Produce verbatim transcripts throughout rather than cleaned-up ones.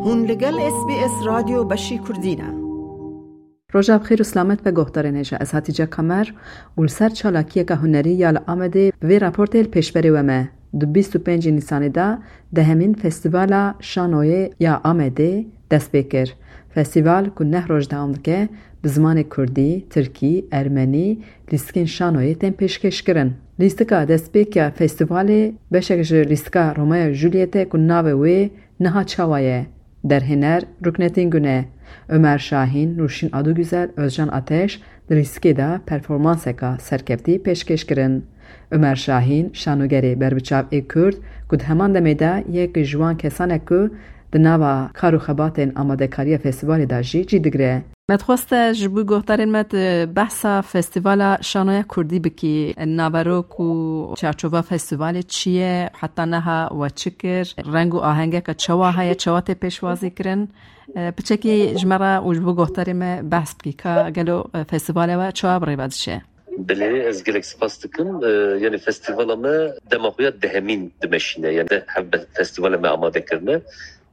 Hûn li gel S B S Radyo Beşî Kurdî ne. Roja bi xêr û silamet be guhdarên hêja. Ez Hatice Kamer û li ser çalakiyeke hunerî ya li Amedê bi vê raportê li pêşberê we me. Di bîst û pêncî Nîsanê de dehemîn Festîvala Şanoyê ya Amedê dest pê kir. Festîval ku neh roj dewam dike, bi zimanê kurdî, tirkî, ermenî lîstikên şanoyê tên pêşkêşkirin. Lîstika destpêk ya festîvalê beşek ji lîstika Romeo û Julietê ku navê wê niha çawa ye? Derhêner Ruknetîn Gune, Omer Şahîn, Nûrşîn Adugüzel, Özcan Ateş di lîstikê de performanseka serkeftî pêşkêş kirin. Omer Şahîn, şanogerê berbiçav ê Kurd, ku di heman demê de yek ji wan kesan e ku di nava kar û xebatên amadekariya festîvalê de jî cî digire. Me dixwest te ji bo guhdarên me tu behsa Festîvala Şanoya Kurdî bikî. Naverok û çarçova festîvalê çi ye? Heta niha we çi kir? Reng û ahengeke çawa heye? Çawa tê pêşwazî kirin? E, piçekî ji me re û ji bo guhdarê me behs bikî. Ka gelo, e, festîvalê we çawa bi rê ve diçe? Belê, ez gelek spas dikim. E, yani festîvala me dema xwe ya dehemîn dimeşîne. Yani de hevbe festîvala me amade kirine.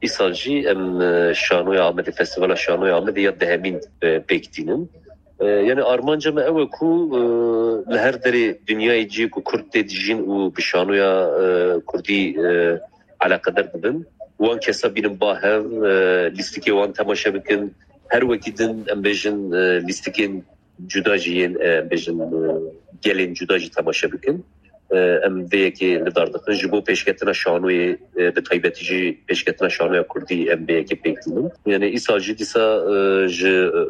Îsal jî em, e, şanoya Amedê, Festîvala Şanoya Amedê ya dehemîn, e, pêk tînin. E, yani armanca me ew e ku, e, li her derê dinyayê cihê ku Kurd tê dijîn û bi şanoya, e, Kurdî, e, eleqedar dibin, wan kesa bînin ba hev, e, lîstikê wan temaşe bikin. Her wekî din em bêjin, e, lîstikên cuda jî yên, e, em bêjin, e, gelên cuda jî temaşe bikin. E, em vê yekê li dar dixin. Ji bo pêşketina şanoyê, e, bi taybetî jî pêşketina şanoya Kurdî em vê yekê pêk tînin. Yani îsal jî dîsa, e, ji, e,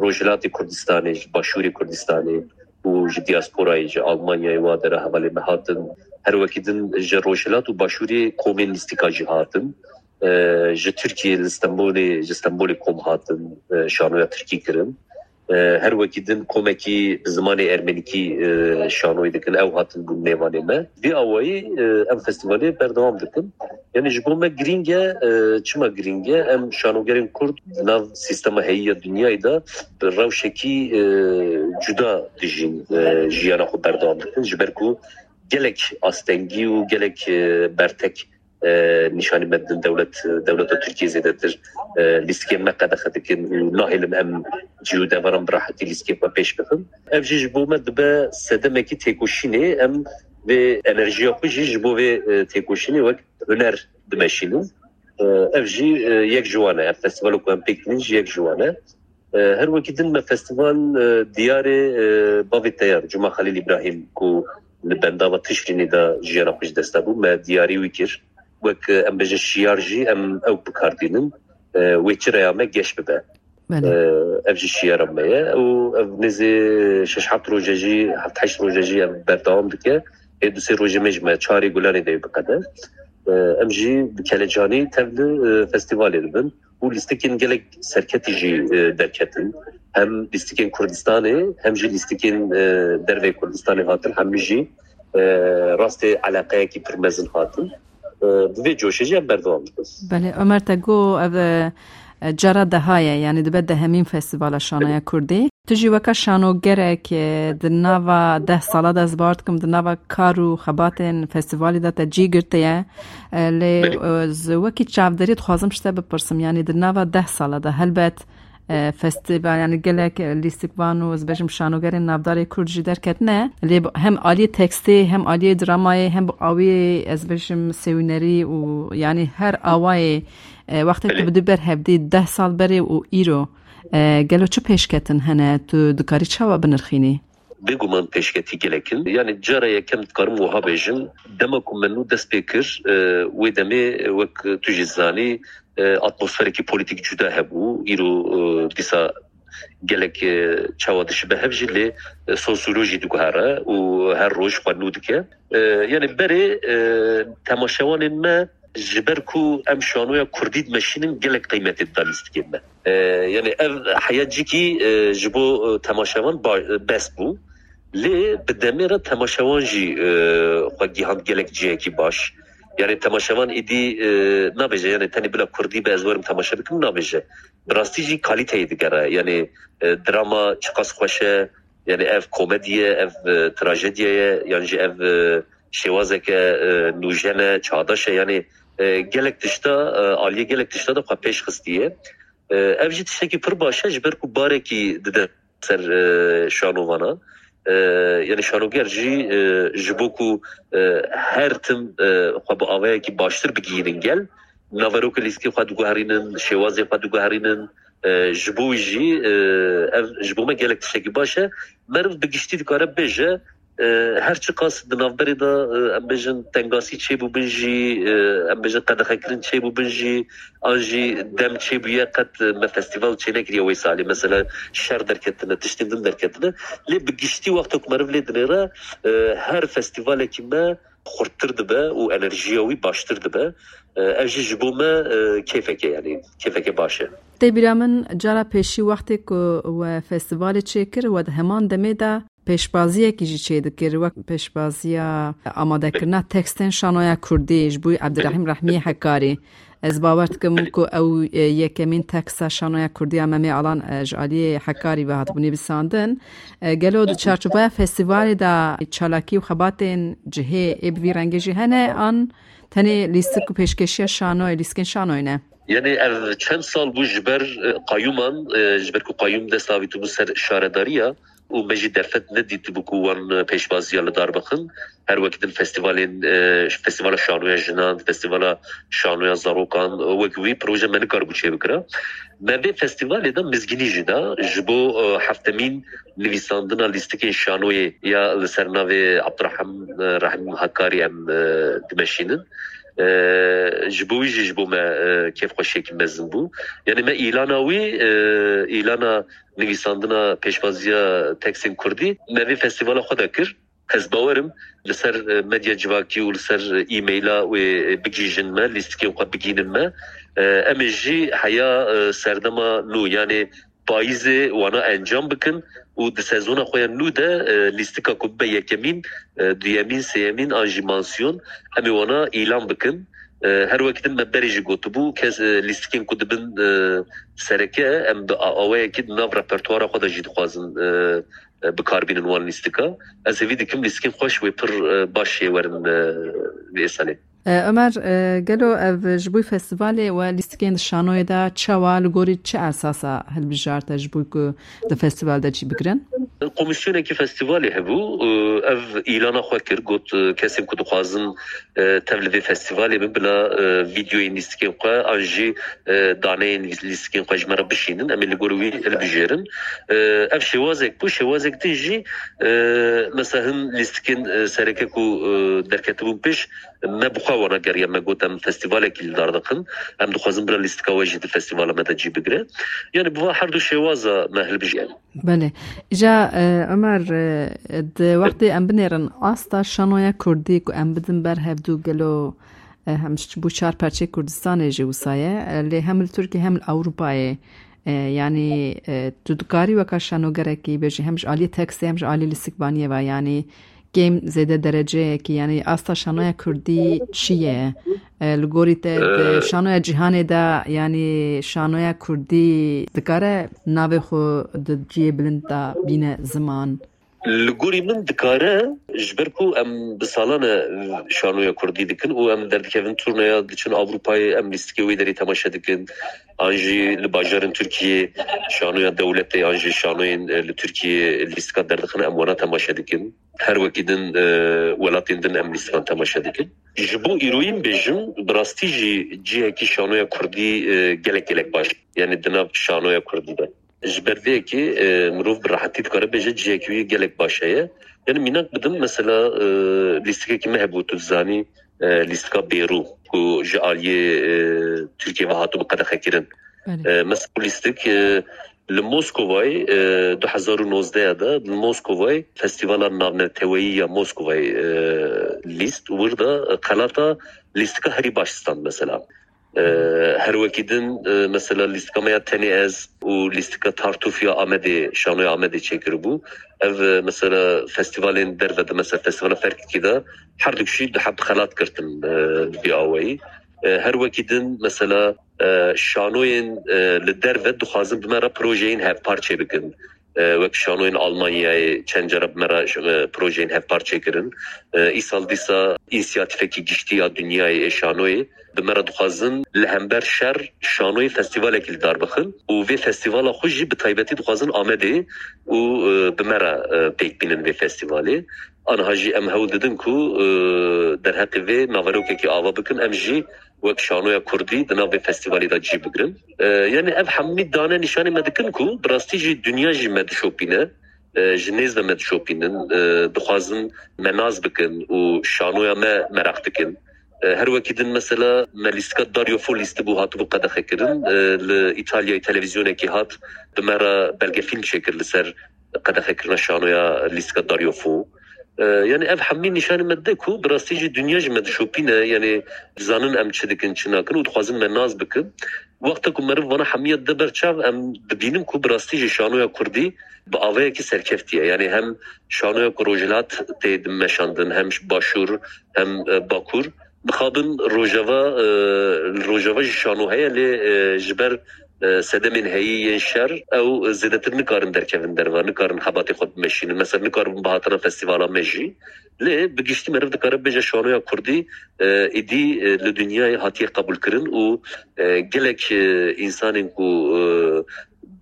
Rojhilatê Kurdistanê, ji Başûrê Kurdistanê û ji diasporayê, ji Almanyayê wa dera hevalê me hatin. Her wekî din ji Rojhilat û Başûrê komên lîstika jî hatin. E, ji Tirkiyê li Stenbolê, ji Stenbolê kom hatin, e, şanoya Tirkî kirin. E, her wekî din komekî bi zimanê ermenîkî, e, şanoyê dikin, ew hatin bûn mêvanê me. Vî awayî, e, em festîvalê berdewam dikin. Yani ji bo me girîng e, e, çima girîng e? Em şanogerên Kurd di nav sîstema heyî ya dinyayê de bi rewşekî, e, cuda dijîn, e, jiyana xwe berdewam dikin. Ji ber ku gelek astengî û gelek, e, bertek, e, nîşanî me didin dewlet, dewleta Tirkiyê zêdetir, e, lîstikên me qedexe dikin û nahêlin em cî û deveran bi rehetî lîstikên xwe pêş bixin. Ev jî ji bo me dibe sedemekî têkoşînê, em vê enerjiya xwe jî ji bo vê, e, têkoşînê wek huner dimeşînin. E, ev jî, e, yek ji wan e. Ev festîvalo ku em pêk tînin jî yek ji wan e. E, her wekî din me festîval, e, diyarê, e, bavê teyar Cuma Xelîl Îbrahîm ku li bendava Tişrînê de jiyana xwe ji dest da bû, me diyarî wî kir. Wek, e, em bêjin şiyar jî em ew bi kar tînin. E, wê çireya me geş bibe. Belê. E, ev jî şiyara me ye û ev nêzê şeş heft roje jî, heft heşt roje jî ev berdewam dike. Ê du sê rojê me jî me çarê Gulanê de biqede. E, em jî bi kelecanî tevli, e, festîvalê dibin. Û lîstikên gelek serketî jî, e, derketin. Hem lîstikên Kurdistanê, hem jî lîstikên, e, derveyê Kurdistanê hatin, hemî jî, e, rastê eleqeyekî pir mezin hatin. E, bi vê coşê jî em berdewam dikin. Belê, Ömer, te got ev, e, cara deha ye, yani dibe dehemîn Festîvala Şanoya Kurdî. Tu jî weke şanogerek, e, di nava deh sala de, ez bawer dikim, di nava kar û xebatên festîvalê de te cî girtiye. E, lê, Belê. e, ez wekî çavderî dixwazim ji te bipirsim, yanî di nava deh sala de helbet, e, festîval, yanî gelek, e, lîstikvan û ez bêjim şanogerên navdarê Kurd jî derketine. Lê bi, hem aliyê tekstê, hem aliyê dramayê, hem bi awiyê, ez bêjim sêwînerî û yanî her awayê, e, wextê Belê. tu bi du ber hevdî deh sal berê û îro, e, gelo çi pêşketin hene? Tu dikarî çawa binirxînî? Bêguman pêşketî gelek in. Yani cara yekem dikarim wiha bêjim, dema ku me nû dest pê kir, e, wê demê, e, wek tu jî zanî, e, atmosferekî polîtîk cuda hebû. Îro, e, dîsa gelek, e, çawa dişibe hev jî lê, e, sonsûro jî diguhere û her roj xwe nû dike. E, yani berê, e, temaşevanên me ji ber ku em şanoya Kurdî dimeşînin, gelek qîmetê dida lîstikên me. E, yani ev heya cîkî, e, ji bo, e, temaşevan ba-, bes bû. Lê bi demê re temaşevan jî, e, xwe gihand gelek cihekî baş. Yani temaşevan êdî, e, nabêje, yani tenê bila Kurdî be ez werim temaşe bikim, nabêje. Bi rastî jî kalîteyê digere. Yani, e, drama çiqas xweş e, yani ev komedî ye, ev, e, trajediye ye, yan jî ev, e, şêwazeke, e, nûjen e, çağdaş e. Yani e, gelek tişta, e, aliyê gelek tişta de xwe pêş xistiye. E, ev jî tiştekî pir baş e, ji ber ku barekî dide ser, e, şanovana. E, yani şanoger jî, e, ji bo ku, e, her tim, e, xwe bi avayekî baştir bigihînin gel, naverokê lîstikê xwe diguherînin, şêwazê xwe diguherînin. E, ji bo wî jî, e, ev ji bo me gelek tiştekî baş e. Meriv bi giştî dikare bêje, e, her çiqas di navberê de, e, em bêjin tengasî çêbûbin jî, e, em bêjin qedexekirin çêbûbin jî, an jî dem çêbûye qet me festîval çênekiriye wê salê. Mesela şer derketine, tiştên din derketine. Lê bi giştî wexta ku meriv lê dinêre, e, her festîvalekî me xurttir dibe û enerjiya wî baştir dibe. E, ev jî ji bo me, e, kêfeke, yani kêfeke baş e. Tê bîra min cara pêşî wextê ku we festîvalê çêkir, we di heman demê de pêşbaziyekî jî çêdikir, wek pêşbaziya amadekirina tekstên şanoya kurdî ji bo Ebdirehîm Rehmiyê Hekarî. Ez bawer dikim ku ew, e, yekemîn teksta şanoya kurdî ya Memê Alan, e, ji aliyê Hekarî ve hatibû nivîsandin. E, gelo di çarçoveya festîvalê de çalakî û xebatên cihê ê bi vî rengê jî hene, an tenê lîstik û pêşkêşiya şanoyê, lîstikên şanoyê ne? Yani ev çend sal bû ji ber, e, qayûman, e, ji ber ku qayûm dest avîtibû ser şaredariya û me jî derfet nedîtibû ku wan pêşbaziya li dar bixin. Her wekî din festîvalên, e, festîvala şanoya jinan, festîvala şanoya zarokan, e, wek wî proje me nikaribû çêbikira. Me vê festîvalê de mizgînî jî da ji bo, e, heftemîn nivîsandina lîstikên şanoyê ya li ser navê Abdurehim, e, Rehim Hakarî em, e, dimeşînin. E, ji bo wî jî ji bo me, e, kêfxweşiyekî mezin bû. Yani me îlana wî, e, îlana nivîsandina pêşbaziya tekstên kurdî me vê festîvala xwe de kir. Ez bawerim li ser, e, medya civakî û li ser, e, e-maila wê, e, bigihîjin me, lîstikên xwe bigihînin me. E, em ê jî heya, e, serdema nû, yani payîzê wana encam bikin û di sezona xwe ya nû de, e, lîstika ku bibe yekemîn, e, duyemîn, sêyemîn an jî mansiyon, em ê wana îlan bikin. E, her wekî din me berê jî gotibû, kes, e, lîstikên ku dibin, e, sereke, em bi a-, awayekî di nav repertuara xwe de jî dixwazin, e, e, bi kar bînin wan lîstika. Ez hêvî dikim lîstikên xweş wê pir, e, baş jê werin, e, vê salê. E, Ömer, e, gelo ev ji bo festîvalê we lîstikên di şanoyê de çawa, li gorî çi esasa hilbijarte ji bo ku di festîval de cî bigirin? Komîsyonekî festîvalê hebû, e, ev îlana xwe kir, got, e, kesên ku dixwazin, e, tev li vê festîvalê bin, bila, e, vîdeoyên lîstikên xwe an jî, e, daneyên lîstikên xwe ji me re bişînin, em ê li gor wî hilbijêrin. E, ev şêwazek bû, şêwazek din jî, e, mesela hin lîstikên, e, sereke ku, e, derketibûn pêş, me bi xwe wana geriya, me got em festîvalekî li dar dixin, em dixwazin bila lîstika we jî di festîvala me de cî bigire. Yani bi va her du şêwaza me hilbijêrin. Belê. Îca, e, Ömer, e, di wextê em binêrin asta şanoya kurdî ku em bidin ber hevdû, gelo, e, hem ji bo çar perçê Kurdistanê jî wisa ye, e, lê hem li Tirkiye hem li Ewropayê, e, yanî, e, tu dikarî weka şanogerekî bêjî hem ji aliyê tekstê hem ji aliyê lîstikvaniyê ve, yanî kêm zêde dereceyekî, yanî asta şanoya kurdî çi ye? E, li gorî te di Ee, şanoya cîhanê de, yanî şanoya kurdî dikare navê xwe di cihê bilind de bîne ziman? Li gorî min dikare, ji ber ku em bi salan e şanoya kurdî dikin û em derdikevin turnaya diçin Ewropayê, em lîstikê wê derê temaşe dikin. An jî li bajarên Tirkiyê şanoya dewletê, an jî şanoyên, e, li Tirkiyê lîstika derdixin, em wana temaşe dikin. Her wekî din, e, welatên din em lîstikan temaşe dikin. Ji bo îroyîn bêjim, bi rastî jî cihekî şanoya kurdî, e, gelek gelek baş. Yani di nav şanoya kurdî de. Ji ber vê yekê, e, mirov bi rehetî dikare bêje cihekî wî gelek baş heye. Yani mînak bidim, mesela, e, lîstikekî me hebû, tu dizanî, e, lîstika Bêrû ku ji aliyê, e, Tirkiyê ve hatibû qedexekirin. Belê. E, mesela lîstik, e, li Moskovayê, e, du hezar û nozdeh de li Moskovayê Festîvala Navneteweyî ya Moskovayê, e, lîst wir da, e, xelata lîstika herî baş stand mesela. E, her wekî din, e, mesela lîstika me ya Tenê Ez û lîstika Tartûf ya Amedê, şanoya Amedê çêkiribû. Ev, e, mesela festîvalên derve de, mesela festîvala Ferkikî de her du kişî du heb xelat girtin, e, bi vî awayî. E, her wekî din mesela, e, şanoyên, e, li derve dixwazin bi me re projeyên hevpar çêbikin. E, wek şanoyên Almanyayê çend cara bi me re, e, projeyên hevpar çêkirin. E, îsal dîsa însiyatîfekî giştî ya dinyayê ê şanoyê bi me re dixwazin li hember şer şanoyê festîvalekî li dar bixin û vê festîvala xwe jî bi taybetî dixwazin Amedê û, e, bi me re, e, pêk bînin vê festîvalê. Aniha jî em hewl didin ku, e, derheqê vê naverokekî ava bikin, em jî wek şanoya kurdî di nav vê festîvalê de cî bigirin. E, yani ev hemî dane nîşanê me dikin ku bi rastî jî dinya jî me dişopîne, e, ji nêz ve me dişopînin, e, dixwazin me nas bikin û şanoya me meraq dikin. E, her wekî din mesela me lîstika Dario Fo lîstibû, hatibû qedexekirin, e, li Îtalyayê televîzyonekî hat bi me re belgefîlm çêkir li ser qedexekirina şanoya lîstika Dario Fo. E, yani ev hemî nîşanê me dide ku bi rastî jî dinya jî me dişopîne, yani dizanin em çi dikin, çi nakin û dixwazin me nas bikin. Wexta ku meriv vana hemiya dide ber çav, em dibînin ku bi rastî jî şanoya kurdî bi avayekî serkeftiye. Yani hem şanoya ku rojhilat tê meşandin, hem başûr, hem, e, bakur. Dixabin rojava, e, li rojava jî şano heye, lê, e, ji ber, e, sedemên heyî yên şer ew zêdetir nikarin derkevin derve, nikarin xebatê xwe bimeşînin. Mesela nikaribin bihatina festîvala me jî. Lê bi giştî meriv dikare bêje şanoya kurdî, e, êdî, e, li dinyayê hatiye qebûlkirin û, e, gelek, e, însanên ku, e,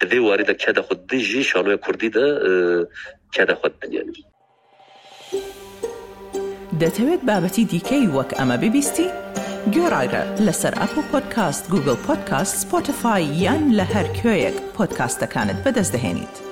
di vê warî de keda xwe didin jî şanoya kurdî de, e, keda xwe didin yani. دەتەوێت بابەتی دیکەی وەک ئەمە ببیستی؟ گوێڕایرە لەسەر ئەپڵ پۆدکاست، گوگڵ پۆدکاست، سپۆتیفای یان لە هەر کوێیەک پۆدکاستەکانت بەدەست دەهێنیت.